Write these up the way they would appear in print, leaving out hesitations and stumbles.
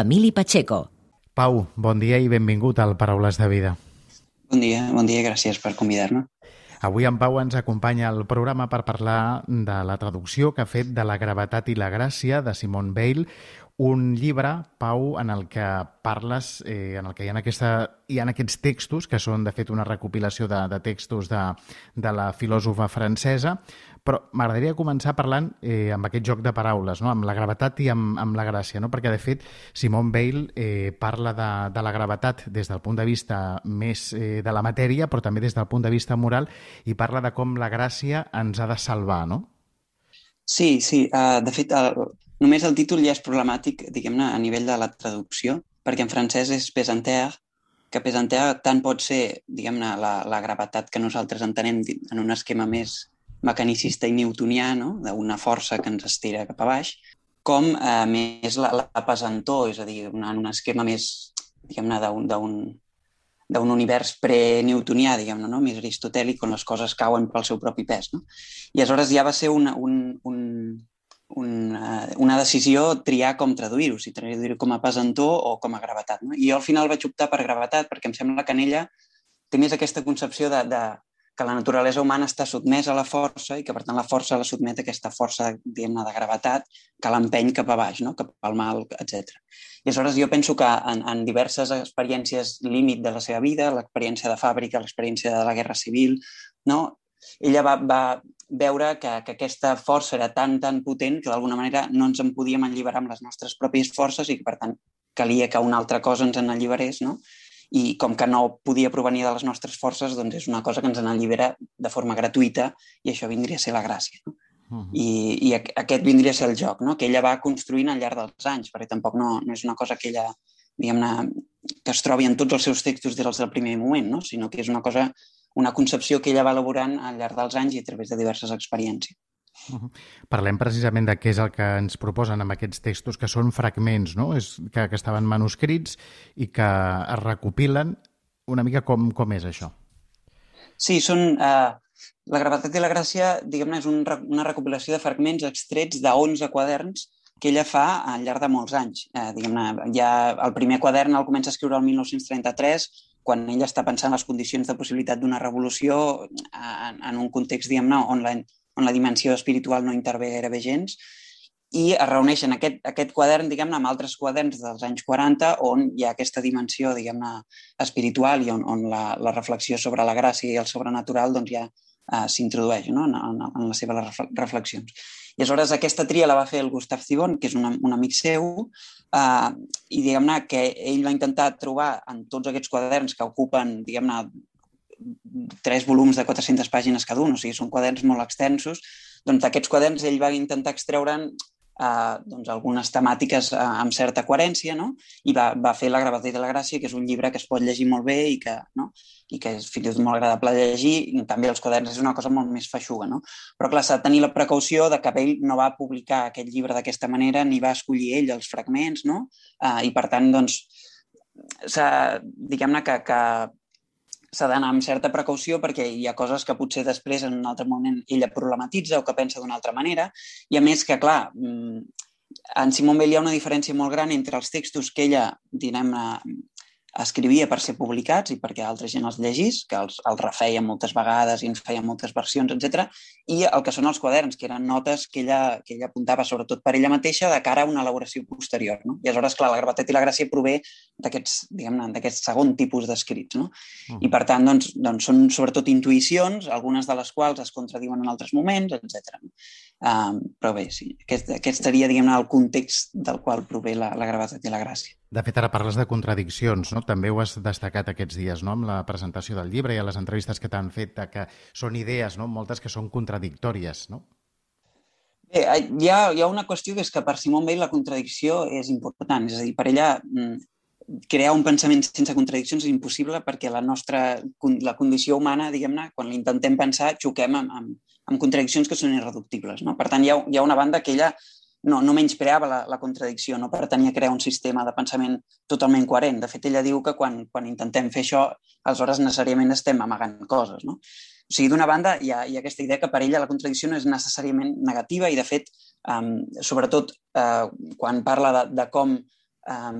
Emili Pacheco. Pau, bon dia i benvingut al Paraules de Vida. Bon dia, gràcies per convidar-me. Avui en Pau ens acompanya al programa per parlar de la traducció que ha fet de La gravetat i la gràcia de Simone Weil, un llibre, Pau, en el que parles, en el que hi ha aquests textos, que són de fet una recopilació de textos de la filòsofa francesa, però m'agradaria començar parlant amb aquest joc de paraules, no? Amb la gravetat i amb la gràcia, no? Perquè de fet Simone Weil parla de la gravetat des del punt de vista més de la matèria, però també des del punt de vista moral, i parla de com la gràcia ens ha de salvar, no? Sí, de fet, només el títol ja és problemàtic, diguem-ne, a nivell de la traducció, perquè en francès és pesanteur, que pesanteur tant pot ser, diguem-ne, la gravetat que nosaltres entenem en un esquema més mecanicista i newtonià, no? D'una força que ens estira cap a baix, com més la pesantor, és a dir, en un esquema més, diguem-ne, d'un univers pre-newtonià, diguem-ne, no? Més aristotèlic, on les coses cauen pel seu propi pes, no? I aleshores ja va ser una decisió triar com traduir-ho, si traduir-ho com a pesantor o com a gravetat, no? I jo al final vaig optar per gravetat perquè em sembla que en ella té més aquesta concepció que la naturalesa humana està sotmesa a la força i que, per tant, la força la sotmet a aquesta força, diguem-ne, de gravetat que l'empeny cap a baix, no? Cap al mal, etc. I aleshores jo penso que en diverses experiències límit de la seva vida, l'experiència de fàbrica, l'experiència de la guerra civil, no? Ella va veure que aquesta força era tan potent que d'alguna manera no ens en podíem alliberar amb les nostres pròpies forces i que, per tant, calia que una altra cosa ens en alliberés, no? I com que no podia provenir de les nostres forces, doncs és una cosa que ens en allibera de forma gratuïta i això vindria a ser la gràcia, no? I aquest vindria a ser el joc, no? Que ella va construint al llarg dels anys, perquè tampoc no és una cosa que ella, diguem-ne, que es trobi en tots els seus textos des del primer moment, no? Sinó que és una concepció que ella va elaborant al llarg dels anys i a través de diverses experiències. Parlem precisament de què és el que ens proposen amb aquests textos, que són fragments, no? Que estaven manuscrits i que es recopilen. Una mica com és això? Sí, són... La gravetat i la gràcia, diguem-ne, és una recopilació de fragments extrets de 11 quaderns que ella fa al llarg de molts anys. Diguem-ne, ja el primer quadern el comença a escriure el 1933, quan ella està pensant les condicions de possibilitat d'una revolució en un context, diguem-ne, on la dimensió espiritual no intervé gairebé gens, i es reuneixen aquest quadern, diguem-ne, amb altres quaderns dels anys 40 on hi ha aquesta dimensió, diguem-ne, espiritual i on la reflexió sobre la gràcia i el sobrenatural doncs ja s'introdueix, no? En les seves reflexions. I aleshores aquesta tria la va fer el Gustave Thibon, que és un amic seu, i diguem-ne que ell va intentar trobar en tots aquests quaderns que ocupen, diguem-ne, 3 volums de 400 pàgines cada un, o sigui, són quaderns molt extensos, doncs d'aquests quaderns ell va intentar extreure'n doncs algunes temàtiques amb certa coherència, no? I va fer La gravetat i la gràcia, que és un llibre que es pot llegir molt bé i que és fins i tot molt agradable de llegir, i en canvi els quaderns és una cosa molt més feixuga, no? Però clar, s'ha de tenir la precaució de que ell no va publicar aquest llibre d'aquesta manera ni va escollir ell els fragments, no? I per tant, doncs, diguem-ne que s'ha d'anar amb certa precaució perquè hi ha coses que potser després en un altre moment ella problematitza o que pensa d'una altra manera, i a més que, clar, en Simone Weil hi ha una diferència molt gran entre els textos que ella, diguem-ne, escrivia per ser publicats i perquè altra gent els llegís, que els refeia moltes vegades i en feia moltes versions, etc. I el que són els quaderns, que eren notes que ella apuntava sobretot per ella mateixa de cara a una elaboració posterior, no? I aleshores, clar, La gravetat i la gràcia prové d'aquests, diguem-ne, d'aquest segon tipus d'escrits, no? I per tant, doncs són sobretot intuïcions, algunes de les quals es contradiuen en altres moments, etc. Però bé, sí, aquest seria, diguem-ne, el context del qual prové la gravetat i la gràcia. De fet, ara parles de contradiccions, no? També ho has destacat aquests dies, no? Amb la presentació del llibre i a les entrevistes que t'han fet, que són idees, no? Moltes que són contradictòries, no? Bé, hi ha una qüestió que és que per Simone Weil la contradicció és important, és a dir, per ella crear un pensament sense contradiccions és impossible perquè la condició humana, diguem-ne, quan l'intentem pensar, xoquem amb contradiccions que són irreductibles, no? Per tant, hi ha una banda que ella no menyspreava la contradicció, no pretenia crear un sistema de pensament totalment coherent. De fet, ella diu que quan intentem fer això, aleshores necessàriament estem amagant coses, no? O sigui, d'una banda, hi ha aquesta idea que per ella la contradicció no és necessàriament negativa i, de fet, sobretot quan parla de com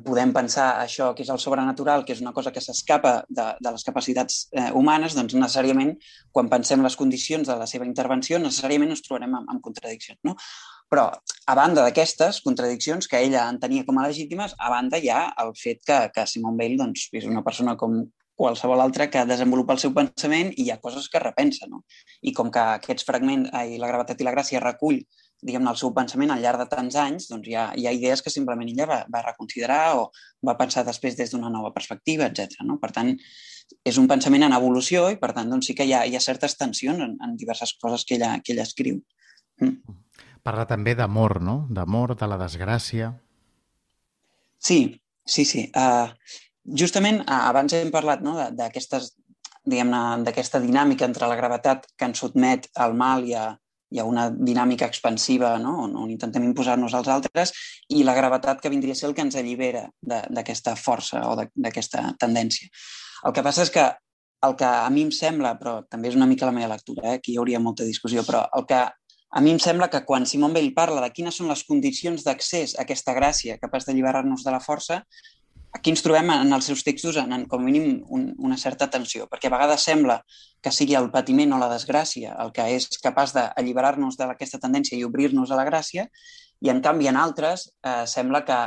podem pensar això que és el sobrenatural, que és una cosa que s'escapa de les capacitats humanes, doncs necessàriament, quan pensem les condicions de la seva intervenció, necessàriament ens trobarem amb contradiccions, no? Però, a banda d'aquestes contradiccions que ella entenia com a legítimes, a banda hi ha el fet que Simone Weil doncs, és una persona com qualsevol altra que desenvolupa el seu pensament i hi ha coses que repensa, no? I com que aquests fragments, La gravetat i la gràcia, recull diguem-ne, el seu pensament al llarg de tants anys, doncs hi ha idees que simplement ella va reconsiderar o va pensar després des d'una nova perspectiva, etc. No? Per tant, és un pensament en evolució i, per tant, doncs sí que hi ha certes tensions en diverses coses que ella escriu. Parla també d'amor, no? D'amor, de la desgràcia. Sí. Justament abans hem parlat, no, d'aquestes, diguem-ne, d'aquesta dinàmica entre la gravetat que ens sotmet al mal i a una dinàmica expansiva, no? On intentem imposar-nos als altres, i la gravetat que vindria a ser el que ens allibera d'aquesta força o d'aquesta tendència. El que passa és que el que a mi em sembla, però també és una mica la meva lectura, aquí hi hauria molta discussió, però el que a mi em sembla que quan Simone Weil parla de quines són les condicions d'accés a aquesta gràcia capaç d'alliberar-nos de la força, aquí ens trobem en els seus textos en com a mínim una certa tensió, perquè a vegades sembla que sigui el patiment o la desgràcia el que és capaç d'alliberar-nos d'aquesta tendència i obrir-nos a la gràcia, i en canvi en altres sembla que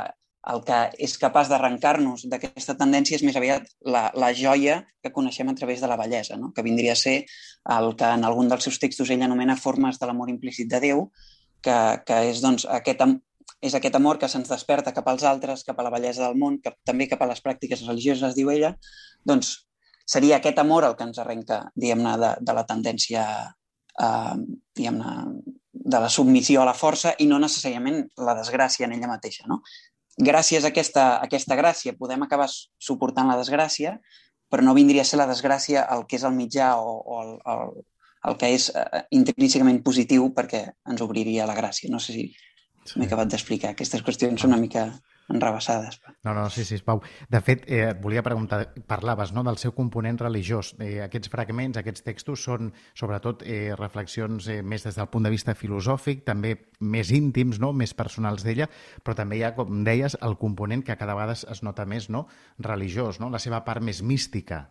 el que és capaç d'arrencar-nos d'aquesta tendència és més aviat la joia que coneixem a través de la bellesa, no? Que vindria a ser el que en algun dels seus textos ell anomena formes de l'amor implícit de Déu, que és doncs aquest amor que se'ns desperta cap als altres, cap a la bellesa del món, també cap a les pràctiques religioses, diu ella, doncs seria aquest amor el que ens arrenca, diguem-ne, de la tendència, diguem-ne, de la submissió a la força i no necessàriament la desgràcia en ella mateixa, no? Gràcies a aquesta gràcia podem acabar suportant la desgràcia, però no vindria a ser la desgràcia el que és el mitjà o el que és intrínsecament positiu perquè ens obriria la gràcia. No sé si m'he acabat d'explicar. Aquestes qüestions són una mica enrevessades. No, sí, Pau. De fet, et volia preguntar, parlaves, no?, del seu component religiós. Aquests fragments, aquests textos són, sobretot, reflexions més des del punt de vista filosòfic, també més íntims, no?, més personals d'ella, però també hi ha, com deies, el component que cada vegada es nota més, no?, religiós, no?, la seva part més mística.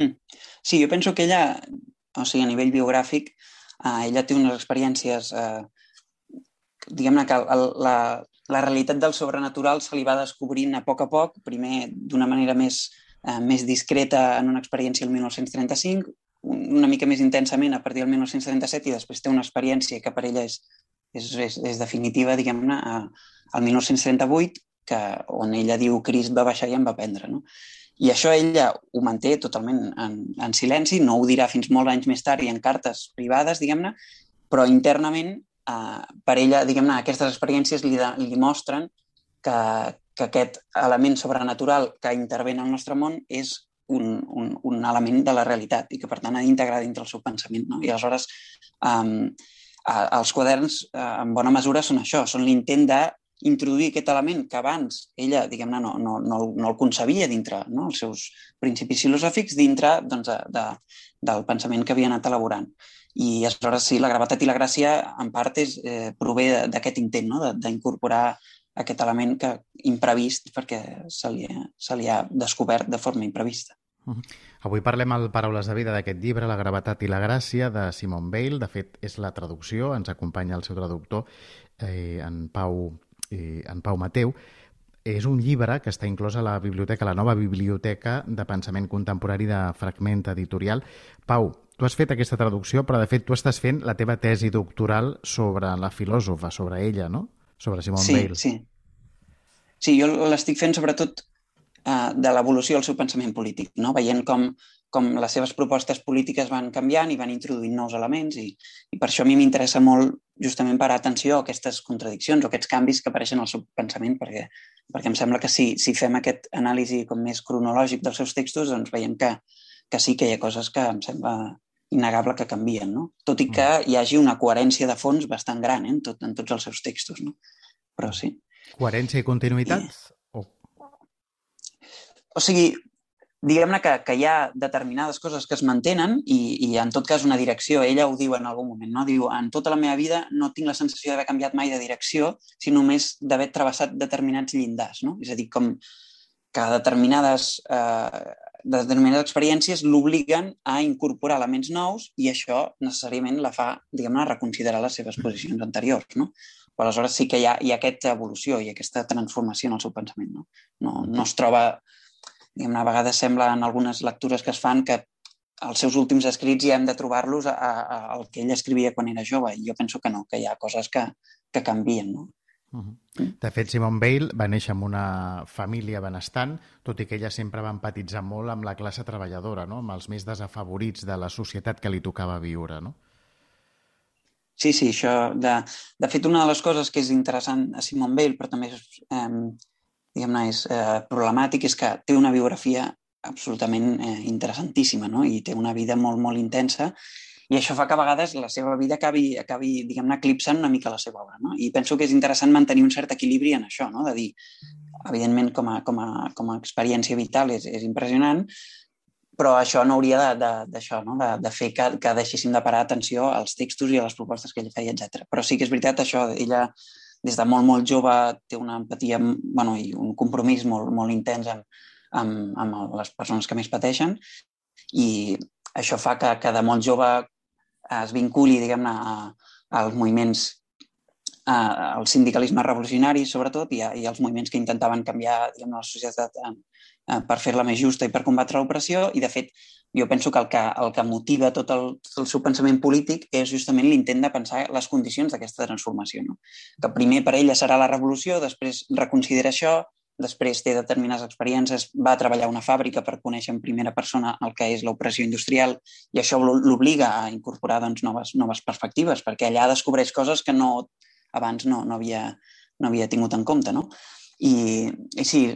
Sí, jo penso que ella, o sigui, a nivell biogràfic, ella té unes experiències diguem-ne que la realitat del sobrenatural se li va descobrint a poc, primer d'una manera més discreta en una experiència el 1935, una mica més intensament a partir del 1937 i després té una experiència que per ella és definitiva, diguem-ne, al 1938, on ella diu Crist va baixar i em va prendre, no? I això ella ho manté totalment en silenci, no ho dirà fins molts anys més tard i en cartes privades, diguem-ne, però internament per ella, diguem-ne, aquestes experiències li mostren que aquest element sobrenatural que intervé en el nostre món és un element de la realitat i que, per tant, ha d'integrar dintre el seu pensament, no? I aleshores els quaderns, en bona mesura, són això, són l'intent d'introduir aquest element que abans ella, diguem-ne, no el concebia dintre, no?, els seus principis filosòfics, dintre doncs, del pensament que havia anat elaborant. I aleshores sí, la gravetat i la gràcia en part prové d'aquest intent, no?, d'incorporar aquest element imprevist perquè se li ha descobert de forma imprevista. Avui parlem al Paraules de Vida d'aquest llibre, La gravetat i la gràcia, de Simone Weil. De fet, és la traducció, ens acompanya el seu traductor, en Pau Mateu. És un llibre que està inclòs a la biblioteca, la nova biblioteca de pensament contemporani de Fragment Editorial. Pau, tu has fet aquesta traducció, però de fet tu estàs fent la teva tesi doctoral sobre la filòsofa, sobre ella, no? Sobre Simone Weil. Sí, jo l'estic fent sobretot de l'evolució del seu pensament polític, no? Veient com les seves propostes polítiques van canviant i van introduint nous elements i per això a mi m'interessa molt justament parar atenció a aquestes contradiccions o aquests canvis que apareixen al seu pensament perquè em sembla que si fem aquest anàlisi com més cronològic dels seus textos doncs veiem que sí que hi ha coses que em sembla innegable que canvien, no? Tot i que hi hagi una coherència de fons bastant gran en tots els seus textos, no? Però sí. Coherència i continuïtat? O sigui, diguem-ne que hi ha determinades coses que es mantenen i en tot cas una direcció, ella ho diu en algun moment, no? Diu, en tota la meva vida no tinc la sensació d'haver canviat mai de direcció, sinó només d'haver travessat determinats llindars, no? És a dir, com que determinades experiències l'obliguen a incorporar elements nous i això necessàriament la fa, diguem-ne, reconsiderar les seves posicions anteriors, no? Però aleshores sí que hi ha aquesta evolució i aquesta transformació en el seu pensament, no? No es troba, diguem-ne, a vegades sembla en algunes lectures que es fan que els seus últims escrits ja hem de trobar-los al que ell escrivia quan era jove, i jo penso que no, que hi ha coses que canvien, no? De fet, Simone Weil va néixer en una família benestant, tot i que ella sempre va empatitzar molt amb la classe treballadora, no? Amb els més desafavorits de la societat que li tocava viure, no? Sí, això... De fet, una de les coses que és interessant a Simone Weil, però també és, diguem-ne, és problemàtic, és que té una biografia absolutament interessantíssima, no? I té una vida molt, molt intensa, i això fa que a vegades la seva vida acabi diguem-ne, eclipsant una mica la seva obra, no? I penso que és interessant mantenir un cert equilibri en això, no? De dir, evidentment, com a experiència vital és impressionant, però això no hauria d'això, no? De fer que deixéssim de parar atenció als textos i a les propostes que ella feia, etc. Però sí que és veritat això, ella des de molt, molt jove té una empatia, bueno, i un compromís molt, molt intens amb les persones que més pateixen, i això fa que de molt jove es vinculi, diguem-ne, als moviments, al sindicalisme revolucionari, sobretot, i als moviments que intentaven canviar, diguem-ne, la societat per fer-la més justa i per combatre l'opressió. I, de fet, jo penso que el que motiva tot el seu pensament polític és justament l'intent de pensar les condicions d'aquesta transformació, no? Que primer per ella serà la revolució, després reconsidera això, després té determinades experiències, va a treballar a una fàbrica per conèixer en primera persona el que és l'opressió industrial, i això l'obliga a incorporar, doncs, noves perspectives, perquè allà descobreix coses que abans no havia tingut en compte, no? I sí,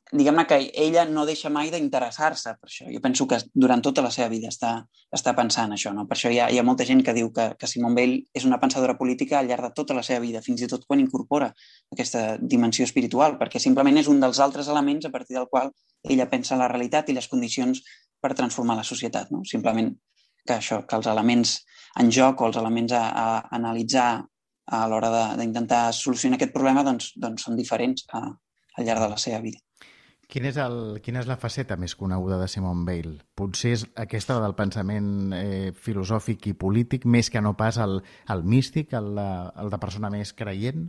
diguem-ne que ella no deixa mai d'interessar-se per això. Jo penso que durant tota la seva vida està pensant això, no? Per això hi ha molta gent que diu que Simone Weil és una pensadora política al llarg de tota la seva vida, fins i tot quan incorpora aquesta dimensió espiritual, perquè simplement és un dels altres elements a partir del qual ella pensa la realitat i les condicions per transformar la societat, no? Simplement que els elements en joc o els elements a analitzar a l'hora d'intentar solucionar aquest problema doncs són diferents al llarg de la seva vida. Quina és la faceta més coneguda de Simone Weil? Potser és aquesta del pensament filosòfic i polític, més que no pas el místic, el de persona més creient?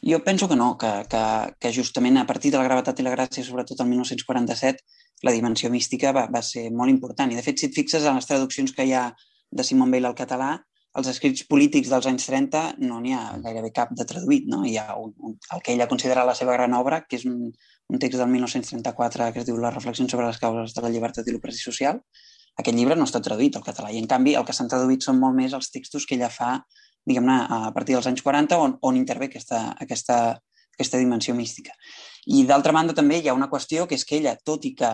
Jo penso que no, que justament a partir de la gravetat i la gràcia, sobretot el 1947, la dimensió mística va ser molt important. I, de fet, si et fixes en les traduccions que hi ha de Simone Weil al català, els escrits polítics dels anys 30 no n'hi ha gairebé cap de traduït, no? Hi ha el que ella considera la seva gran obra, que és un text del 1934 que es diu Les reflexions sobre les causes de la llibertat i l'opressió social. Aquest llibre no està traduït al català, i en canvi el que s'han traduït són molt més els textos que ella fa, diguem-ne, a partir dels anys 40, on intervé aquesta dimensió mística. I d'altra banda també hi ha una qüestió, que és que ella, tot i que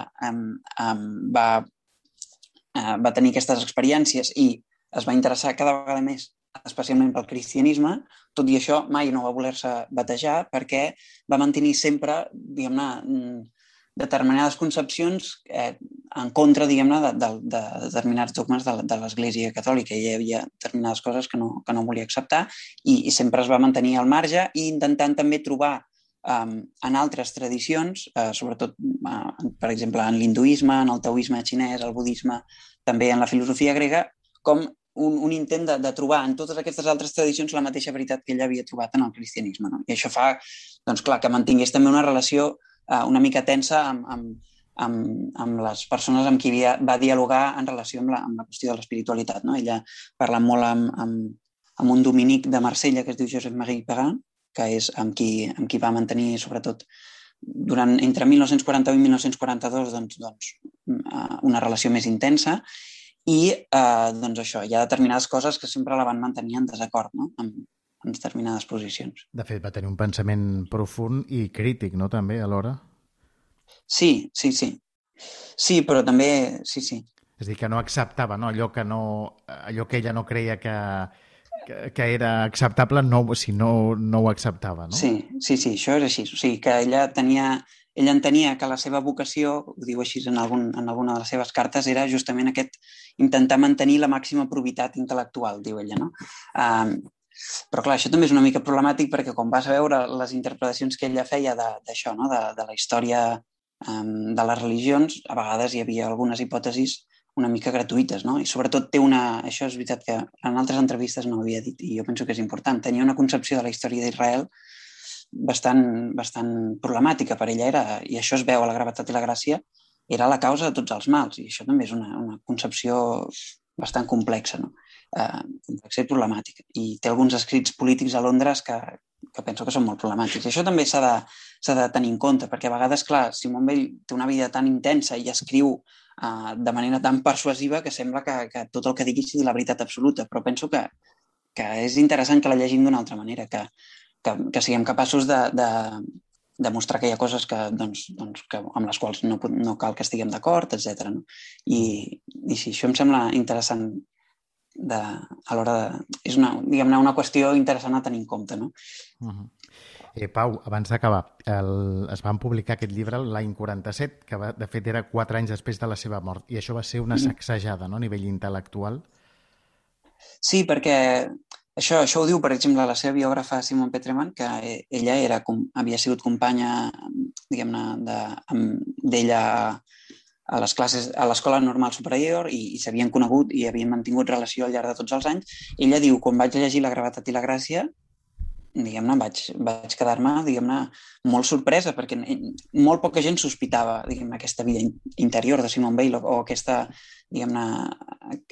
va tenir aquestes experiències i es va interessar cada vegada més, especialment pel cristianisme, tot i això mai no va voler-se batejar, perquè va mantenir sempre, diguem-ne, determinades concepcions en contra, diguem-ne, de determinats dogmes de l'Església Catòlica. Hi havia determinades coses que no volia acceptar, i sempre es va mantenir al marge, i intentant també trobar en altres tradicions, sobretot, per exemple, en l'hinduisme, en el taoisme xinès, el budisme, també en la filosofia grega, com un intent de trobar en totes aquestes altres tradicions la mateixa veritat que ell havia trobat en el cristianisme, no? I això fa, doncs clar, que mantingués també una relació una mica tensa amb les persones amb qui va dialogar en relació amb la qüestió de l'espiritualitat, no? Ella parla molt amb un dominic de Marsella que es diu Joseph-Marie Perrin, que és amb qui va mantenir, sobretot, entre 1941 i 1942, doncs, una relació més intensa. I, doncs això, hi ha determinades coses que sempre la van mantenir en desacord, no? En determinades posicions. De fet, va tenir un pensament profund i crític, no?, també, alhora? Sí. Sí, però també... Sí. És a dir, que no acceptava, no? Allò que ella no creia que era acceptable, si no ho acceptava, no? Sí, això és així. O sigui, que ella ell entenia que la seva vocació, ho diu així en alguna de les seves cartes, era justament intentar mantenir la màxima probitat intel·lectual, diu ella, no? Però clar, això també és una mica problemàtic perquè quan vas a veure les interpretacions que ella feia d'això, no? de la història de les religions, a vegades hi havia algunes hipòtesis una mica gratuïtes, no? I sobretot això és veritat que en altres entrevistes no ho havia dit i jo penso que és important, tenia una concepció de la història d'Israel bastant problemàtica per ella, i això es veu a La gravetat i la gràcia, era la causa de tots els mals, i això també és una concepció bastant complexa, no? Complexa i problemàtica. I té alguns escrits polítics a Londres que penso que són molt problemàtics. I això també s'ha de tenir en compte, perquè a vegades, clar, Simone Weil té una vida tan intensa i escriu de manera tan persuasiva que sembla que tot el que digui sigui la veritat absoluta, però penso que és interessant que la llegim d'una altra manera, que siguem capaços de mostrar que hi ha coses que amb les quals no cal que estiguem d'acord, etc. No? I sí, això em sembla interessant a l'hora de... És una qüestió interessant a tenir en compte, no? Pau, abans d'acabar, es van publicar aquest llibre l'any 47, que de fet era 4 anys després de la seva mort, i això va ser una sacsejada, no?, a nivell intel·lectual. Sí, perquè això ho diu, per exemple, la seva biògrafa Simone Petreman, que ella havia sigut companya, diguem-ne, d'ella a les classes, a l'escola normal superior, i s'havien conegut i havien mantingut relació al llarg de tots els anys. Ella diu, quan vaig llegir La gravetat i la gràcia, diguem-ne, vaig quedar-me, diguem-ne, molt sorpresa, perquè molt poca gent sospitava, diguem-ne, aquesta vida interior de Simone Weil o aquesta, diguem-ne,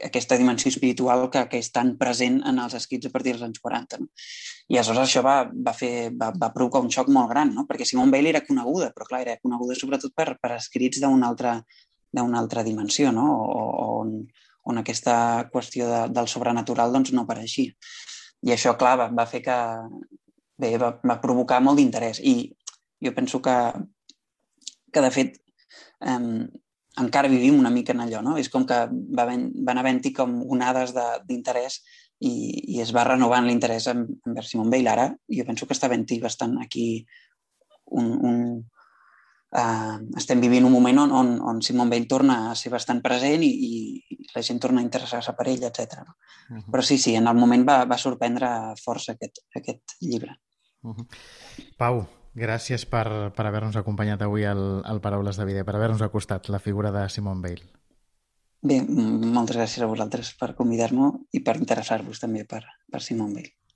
aquesta dimensió espiritual que és tan present en els escrits a partir dels anys 40. No? I aleshores això va provocar un xoc molt gran, no? Perquè Simone Weil era coneguda, però clar, era coneguda sobretot per escrits d'una altra dimensió, no? On aquesta qüestió del sobrenatural doncs, no apareixia. I això, clar, va fer que... Bé, va provocar molt d'interès. I jo penso que de fet, encara vivim una mica en allò, no? És com que van havent-hi com onades d'interès i es va renovant l'interès envers Simone Weil. Ara jo penso que està havent-hi bastant aquí estem vivint un moment on Simone Weil torna a ser bastant present i la gent torna a interessar-se per ell, etc. Però sí, en el moment va sorprendre força aquest llibre. Pau, gràcies per haver-nos acompanyat avui al Paraules de Vida, per haver-nos acostat la figura de Simone Weil. Bé, moltes gràcies a vosaltres per convidar-me i per interessar-vos també per Simone Weil.